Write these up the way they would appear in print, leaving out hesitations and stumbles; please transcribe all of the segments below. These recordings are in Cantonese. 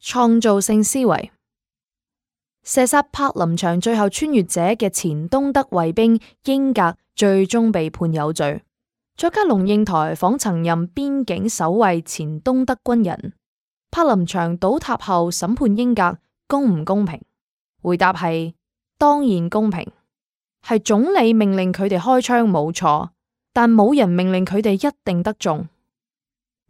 創造性思維。射殺柏林牆最後穿越者嘅前東德衛兵英格最終被判有罪。作家龍應台訪曾任邊境守衛前東德軍人，柏林牆倒塌後審判英格公唔公平？回答係當然公平，係總理命令佢哋開槍冇錯，但冇人命令佢哋一定得中。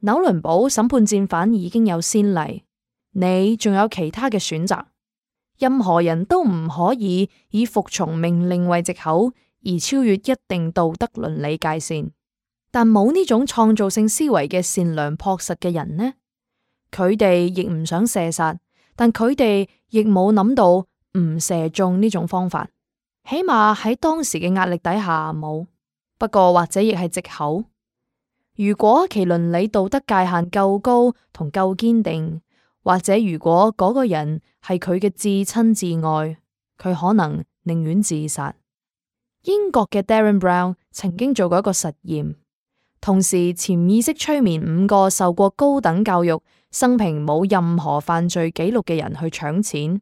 紐倫堡審判戰犯已經有先例，你仲有其他嘅選擇。任何人都唔可以以服從命令為藉口而超越一定道德倫理界線。但冇呢種創造性思維嘅善良樸實嘅人呢？佢哋亦唔想射殺，但佢哋亦冇諗到唔射中呢種方法，起碼喺當時嘅壓力底下冇。不過或者亦係藉口。如果其倫理道德界限夠高同夠堅定，或者如果嗰個人係佢嘅至親至愛，佢可能寧願自殺。英國嘅 Darren Brown 曾經做過一個實驗，同時潛意識催眠5個受過高等教育、生平冇任何犯罪記錄嘅人去搶錢，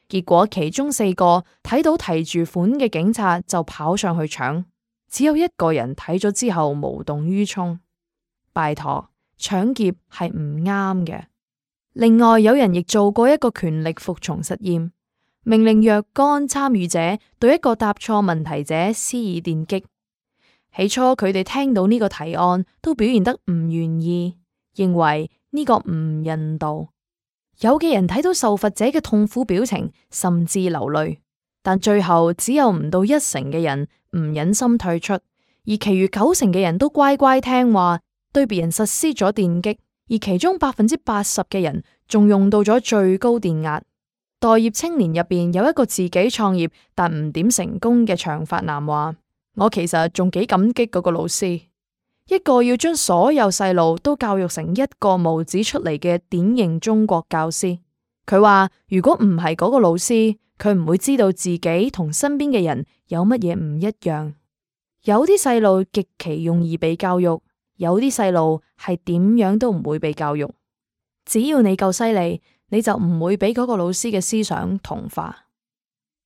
結果其中4個睇到提住款嘅警察就跑上去搶，只有1個人睇咗之後無動於衷。拜託，搶劫係唔啱嘅。另外有人亦做過一個權力服從實驗，命令若干參與者對一個答錯問題者施以電擊。起初佢哋聽到呢個提案都表現得唔願意，認為呢個唔人道。有嘅人睇到受罰者嘅痛苦表情，甚至流淚，但最後只有唔到1成嘅人唔忍心退出，而其餘9成嘅人都乖乖聽話，對別人實施咗電擊。而其中80%嘅人仲用到咗最高電壓。待業青年入邊有一個自己創業但唔點成功嘅長髮男話：我其實仲幾感激嗰個老師，一個要將所有細路都教育成一個模子出嚟嘅典型中國教師。佢話如果唔係嗰個老師，佢唔會知道自己同身邊嘅人有乜嘢唔一樣。有啲細路極其容易被教育，有啲細路係點樣都唔會被教育。只要你夠犀利，你就唔會俾嗰個老師嘅思想同化。